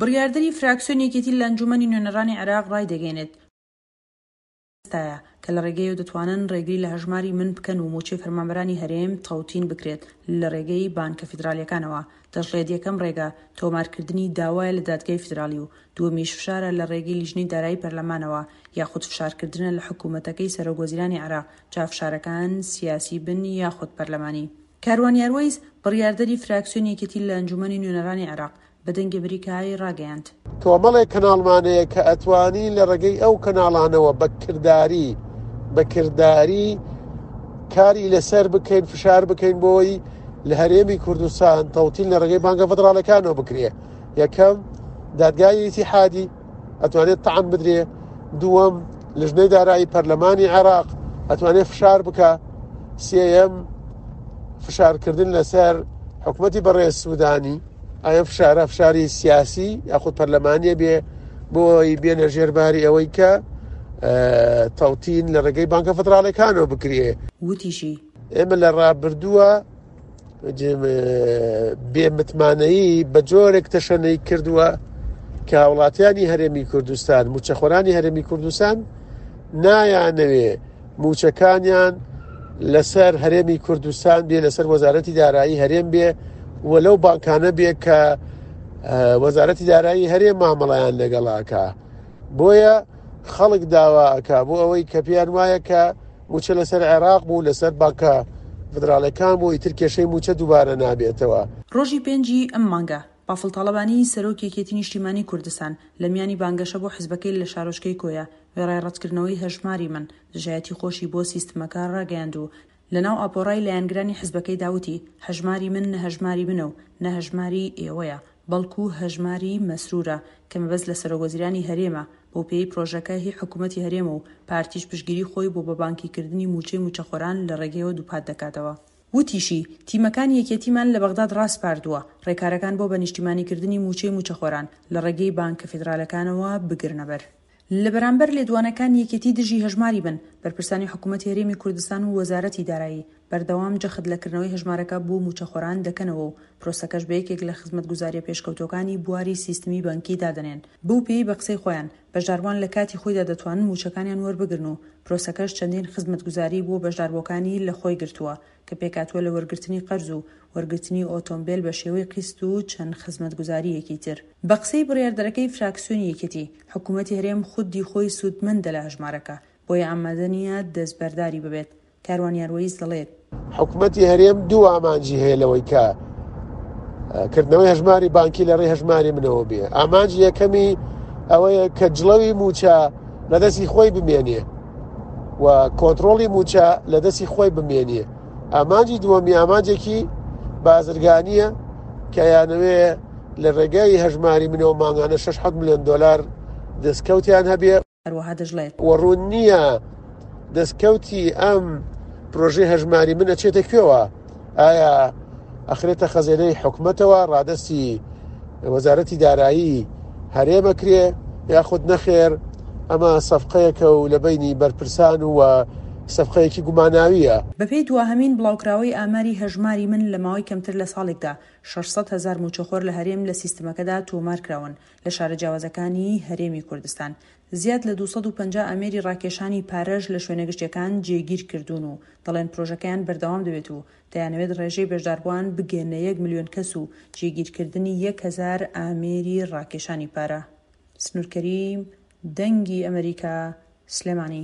بڕیاردەری فراکسیۆنی یەکێتی لە ئەنجوومەنی نوێنەرانی عێراق ڕایدەگەیەنێت، ئێستایە کە لە ڕێگەیەوە دەتوانن ڕێگری لە هەژماری من بکەن و مووچەی فەرمانبەرانی هەرێم تەوتین بکرێت لە ڕێگەی بانکە فیدرالیەکانەوە. دەشڵێت یەکەم ڕێگە تۆمارکردنی داوایە لە دادگای فیدرالی و دووەمیش فشارە لە ڕێگەی لیژنەی دارایی پەرلەمانەوە یاخود فشارکردنە لە حکومەتەکەی سەرۆکوەزیرانی عێراق جا فشارەکان سیاسی بن یاخود پەرلەمانی. کاروان یاروەیس، بڕیاردەری فراکسیۆنی یەکێتی لە ئەنجوومەنی نوێنەرانی عێراق، بە دەنگی ئەمریکای ڕاگەیاند. کۆمەڵێک کەناڵمان هەیە کە ئەتوانین لە ڕێگەی ئەو کەناڵانەوە بە کرداری بە کرداری کاری لەسەر بکەین فشار بکەین بۆی لە هەرێمی کوردستان تەوتین لە ڕێگەی بانکە فدراڵەکانەوە بکرێ یەکەم دادگای ئیتیحادی ئەتوانێت تەعن بدرێ دووەم لژنەی دارایی پەرلەمانی عێراق ئەتوانێت فشار بکە سێیەم فشارکردن لەسەر حکوومەتی بەڕێز سوودانی ئایا فشارە فشاری سیاسی یاخود پەرلەمانیە بێ بۆی بێنە ژێرباری ئەوەی کە تەوتین لە ڕێگەی بانکە فدراڵەکانەوە بکرێ. وتیشی. ئێمە لە ڕابردووە بێ متمانەیی بە جۆرێک تەشەنەی کردووە کە هاوڵاتیانی هەرێمی کوردستان موچەخۆرانی هەرێمی کوردستان نایانەوێ موچەکانیان لەسەر هەرێمی کوردستان بێ لەسەر وەزارەتی دارایی هەرێم بێ و لەو بانکانە بێ کە وەزارەتی دارایی هەرێم مامەڵیان لەگەڵاکە بۆیە خەڵک داواکە بۆ ئەوەی کە پێیان وایە کە مووچە لەسەر عێراق بوو، لەسەر بانکە فیدراڵیەکان بوو، ئیتر کێشەی مووچە دووبارە نابێتەوە. ڕۆژی پێنجی ئەم مانگە، بافڵ تاڵەبانی، سەرۆکی یەکێتی نیشتیمانی کوردستان، لە میانی بانگەشە بۆ حزبەکەی لە شارۆچکەی کۆیە، وێڕای ڕەتکردنەوەی هەژماری من، دژایەتی خۆشی بۆ سیستمەکە ڕاگەیاند و لەناو ئاپۆرای لایەنگرانی حزبەکەیدا وتی، هەژماری من نە هەژماری منە و نە هەژماری ئێوەیە، بەڵکو هەژماری مەسرورە، کە مەبەست لە سەرۆکوەزیرانی هەرێمە، بەوپێیەی پرۆژەکە هی حکومەتی هەرێمە و پارتیش پشتگیری خۆی بۆ بەبانکیکردنی مووچەی مووچەخۆران لە ڕێگەیەوە دووپات دەکاتەوە. وتیشی، تیمەکانی یەکێتیمان لە بەغداد ڕاسپاردووە، ڕێکارەکان بۆ بەنیشتیمانیکردنی مووچەی مووچەخۆران لە ڕێگەی بانکە فیدرالەکانەوە بگرنەبەر. لە بەرامبەر لێدوانەکانی یەکێتی دژی هەژماری بن، بەرپرسانی حکومەتی هەرێمی کوردستان و وەزارەتی دارایی، بەردەوام جەخت لە کردنەوەی هەژمارەکە بۆ مووچەخۆران دەکەنەوە و پرۆسەکەش بە یەکێک لە خزمەتگوزارییە پێشکەوتووەکانی بواری سیستمی بانکی دادەنێن، بەو پێیەی بە قسەی خۆیان، بەشداربووان لە کاتی خۆیدا دەتوانن مووچەکانیان وەربگرن و پرۆسەکەش چەندین خزمەتگوزاری بۆ بەشداربووەکانی لەخۆی گرتووە کە پێکهاتووە لە وەرگرتنی قەرز و وەرگرتنی ئۆتۆمبێل بە شێوەی قیست و چەند خزمەتگوزارییەکی تر. بە قسەی بڕیاردەرەکەی فراکسیۆنی یەکێتی، حکوومەتی هەرێم خودی خۆی سوودمەندە لە هەژمارەکە، بۆیە ئامادە نییە دەستبەرداری ببێت. کاروان یاروەیس دەڵێت. حکومەتی هەرێم دوو ئامانجی هەیە لەوەی کە کردنەوەی هەژماری بانکی لە ڕێی هەژماری منەوە بێ ئامانجی یەکەمی ئەوەیە کە جڵەوی موچە لە دەستی خۆی بمێنێ و کۆنتترۆڵی موچە لە دەستی خۆی بمێنێ ئامانجی دووەمی ئامانجێکی بازرگانیە کە یانەوێ لە ڕێگای هەژماری منەوە مانگانە 6 میلیۆن دلار دەستکەوتیان هەبێ هەروەها دەشڵێت. وە ڕوون نییە دەستکەوتی ئەم پرۆژەی هەژماری من ئەچێتە کوێوە، ئایا ئەخرێتە خەزێنەی حکومەتەوە ڕادەستی وەزارەتی دارایی هەرێم ئەکرێ یاخود نەخێر ئەمە سەفقەیەکە و لە بەینی بەرپرسان و سەفقەیەکی گوماناوییە. بەپێی دواهەمین بڵاوکراوەی ئاماری هەژماری من لە ماوەی کەمتر لە ساڵێکدا 600 هەزار مووچەخۆر لە هەرێم لە سیستمەکەدا تۆمارکراون لە شارە جیاوازەکانی هەرێمی کوردستان زیاد لە 250 ئامێری ڕاکێشانی پارەش لە شوێنە گشتیەکان جێگیر کردوون و دەڵێن پرۆژەکەیان بەردەوام دەبێت و دەیانەوێت ڕێژەی بەشداربووان بگەنە یەک ملیۆن کەس و جێگیرکردنی 1000 ئامێری ڕاکێشانی پارە. سنوور کەریم، دەنگی ئەمەریکا، سلێمانی.